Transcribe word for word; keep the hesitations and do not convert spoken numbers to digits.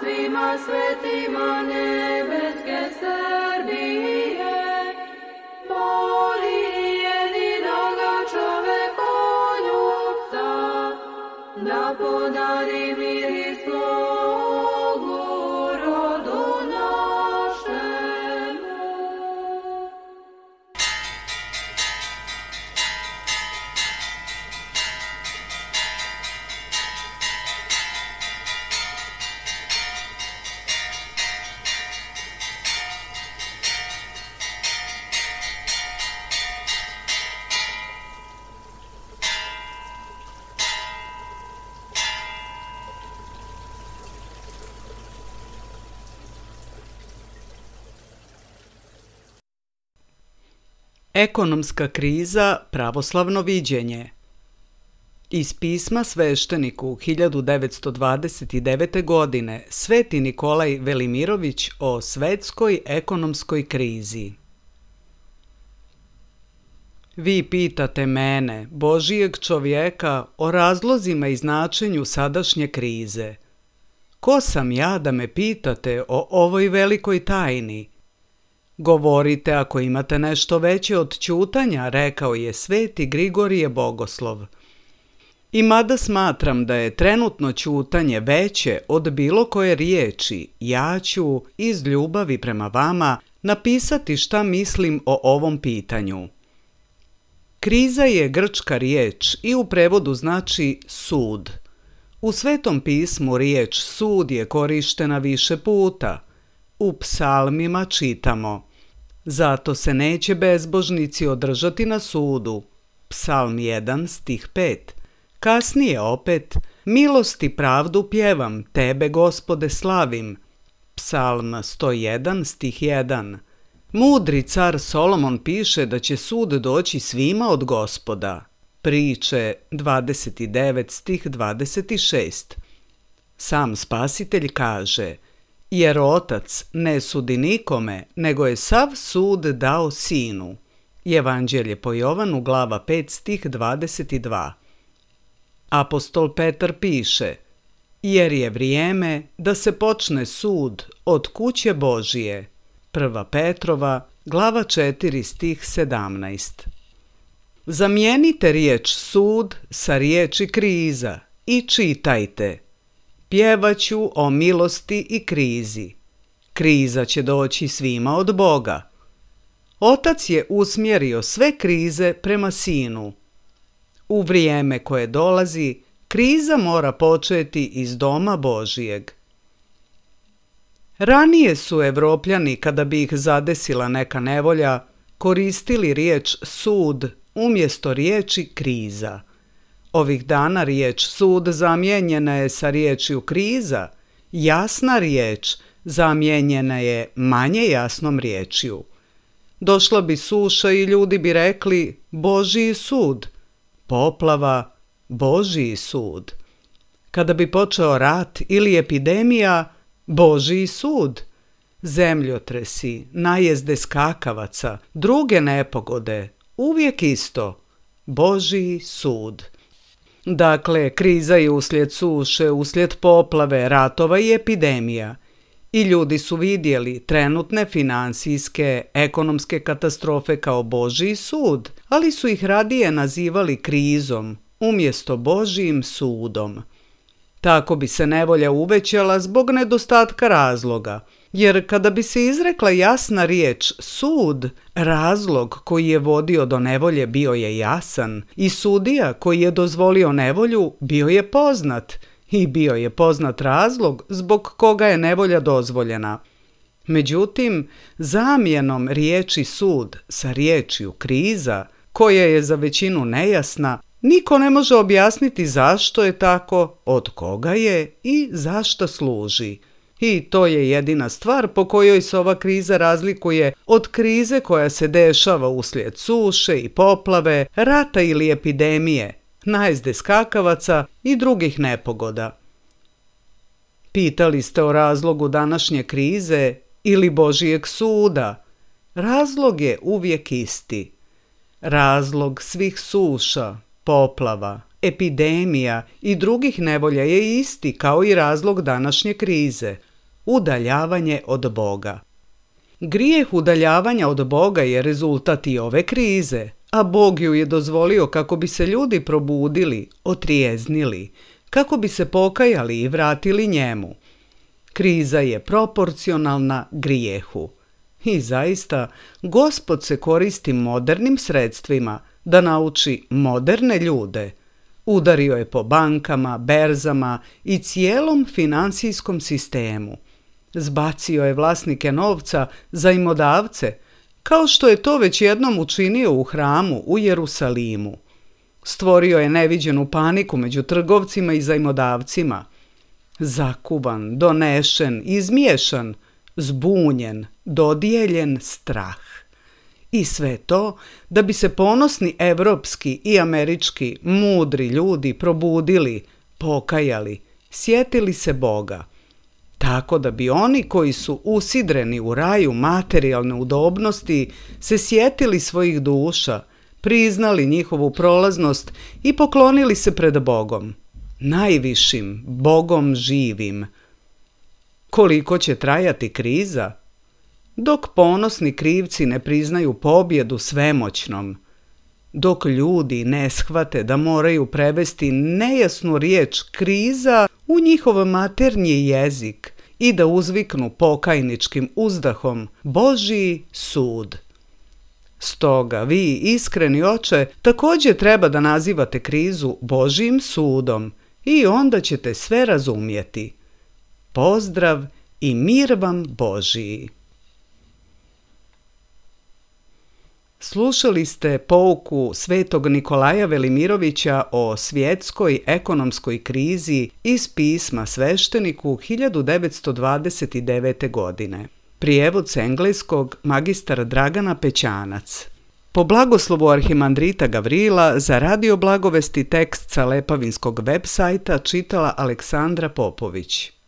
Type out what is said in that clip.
svima svetima nebeske Srbije, moli jedinoga čovekoljubca, da podari mir i slogu rodu našemu. Ekonomska kriza, pravoslavno viđenje. Iz pisma svešteniku hiljadu devetsto dvadeset devete. godine Sveti Nikolaj Velimirović o svetskoj ekonomskoj krizi. Vi pitate mene, Božijeg čovjeka, o razlozima i značenju sadašnje krize. Ko sam ja da me pitate o ovoj velikoj tajni? Govorite ako imate nešto veće od ćutanja, rekao je Sveti Grigorije Bogoslov. I mada smatram da je trenutno ćutanje veće od bilo koje riječi, ja ću, iz ljubavi prema vama, napisati šta mislim o ovom pitanju. Kriza je grčka riječ i u prevodu znači sud. U Svetom pismu riječ sud je korištena više puta. U psalmima čitamo: zato se neće bezbožnici održati na sudu. Psalm jedan, stih pet. Kasnije opet: milost i pravdu pjevam, tebe, Gospode, slavim. Psalm sto jedan, stih jedan. Mudri car Solomon piše da će sud doći svima od Gospoda. Priče dvadeset devet, stih dvadeset šest. Sam Spasitelj kaže: jer Otac ne sudi nikome, nego je sav sud dao Sinu. Evanđelje po Jovanu, glava pet, stih dvadeset dva. Apostol Petar piše: jer je vrijeme da se počne sud od kuće Božije. Prva Petrova, glava četiri, stih sedamnaest. Zamijenite riječ sud sa riječi kriza i čitajte: pjevaću o milosti i krizi. Kriza će doći svima od Boga. Otac je usmjerio sve krize prema Sinu. U vrijeme koje dolazi, kriza mora početi iz doma Božijeg. Ranije su Evropljani, kada bi ih zadesila neka nevolja, koristili riječ sud umjesto riječi kriza. Ovih dana riječ sud zamijenjena je sa riječju kriza, jasna riječ zamijenjena je manje jasnom riječju. Došla bi suša i ljudi bi rekli Božji sud, poplava, Božji sud. Kada bi počeo rat ili epidemija, Božji sud. Zemljotresi, najezde skakavaca, druge nepogode, uvijek isto, Božji sud. Dakle, kriza je uslijed suše, uslijed poplave, ratova i epidemija. I ljudi su vidjeli trenutne finansijske, ekonomske katastrofe kao Božji sud, ali su ih radije nazivali krizom umjesto Božjim sudom. Tako bi se nevolja uvećala zbog nedostatka razloga, jer kada bi se izrekla jasna riječ sud, razlog koji je vodio do nevolje bio je jasan i sudija koji je dozvolio nevolju bio je poznat i bio je poznat razlog zbog koga je nevolja dozvoljena. Međutim, zamjenom riječi sud sa riječju kriza, koja je za većinu nejasna, niko ne može objasniti zašto je tako, od koga je i zašto služi. I to je jedina stvar po kojoj se ova kriza razlikuje od krize koja se dešava uslijed suše i poplave, rata ili epidemije, najezde skakavaca i drugih nepogoda. Pitali ste o razlogu današnje krize ili Božijeg suda. Razlog je uvijek isti. Razlog svih suša, poplava, epidemija i drugih nevolja je isti kao i razlog današnje krize – udaljavanje od Boga. Grijeh udaljavanja od Boga je rezultat i ove krize, a Bog ju je dozvolio kako bi se ljudi probudili, otrijeznili, kako bi se pokajali i vratili njemu. Kriza je proporcionalna grijehu. I zaista, Gospod se koristi modernim sredstvima da nauči moderne ljude. Udario je po bankama, berzama i cijelom finansijskom sistemu. Zbacio je vlasnike novca zajmodavce, kao što je to već jednom učinio u hramu u Jerusalimu. Stvorio je neviđenu paniku među trgovcima i zajmodavcima. Zakuvan, donešen, izmiješan, zbunjen, dodijeljen strah. I sve to da bi se ponosni evropski i američki mudri ljudi probudili, pokajali, sjetili se Boga. Tako da bi oni koji su usidreni u raju materijalne udobnosti se sjetili svojih duša, priznali njihovu prolaznost i poklonili se pred Bogom, najvišim Bogom živim. Koliko će trajati kriza? Dok ponosni krivci ne priznaju pobjedu svemoćnom, dok ljudi ne shvate da moraju prevesti nejasnu riječ kriza u njihov maternji jezik i da uzviknu pokajničkim uzdahom Božji sud. Stoga vi, iskreni oče, također treba da nazivate krizu Božjim sudom i onda ćete sve razumjeti. Pozdrav i mir vam Božji. Slušali ste pouku svetog Nikolaja Velimirovića o svjetskoj ekonomskoj krizi iz pisma svešteniku hiljadu devetsto dvadeset devete. godine. Prijevod s engleskog magistar Dragana Pećanac. Po blagoslovu arhimandrita Gavrila za Radio Blagovesti tekst sa Lepavinskog web sajta čitala Aleksandra Popović.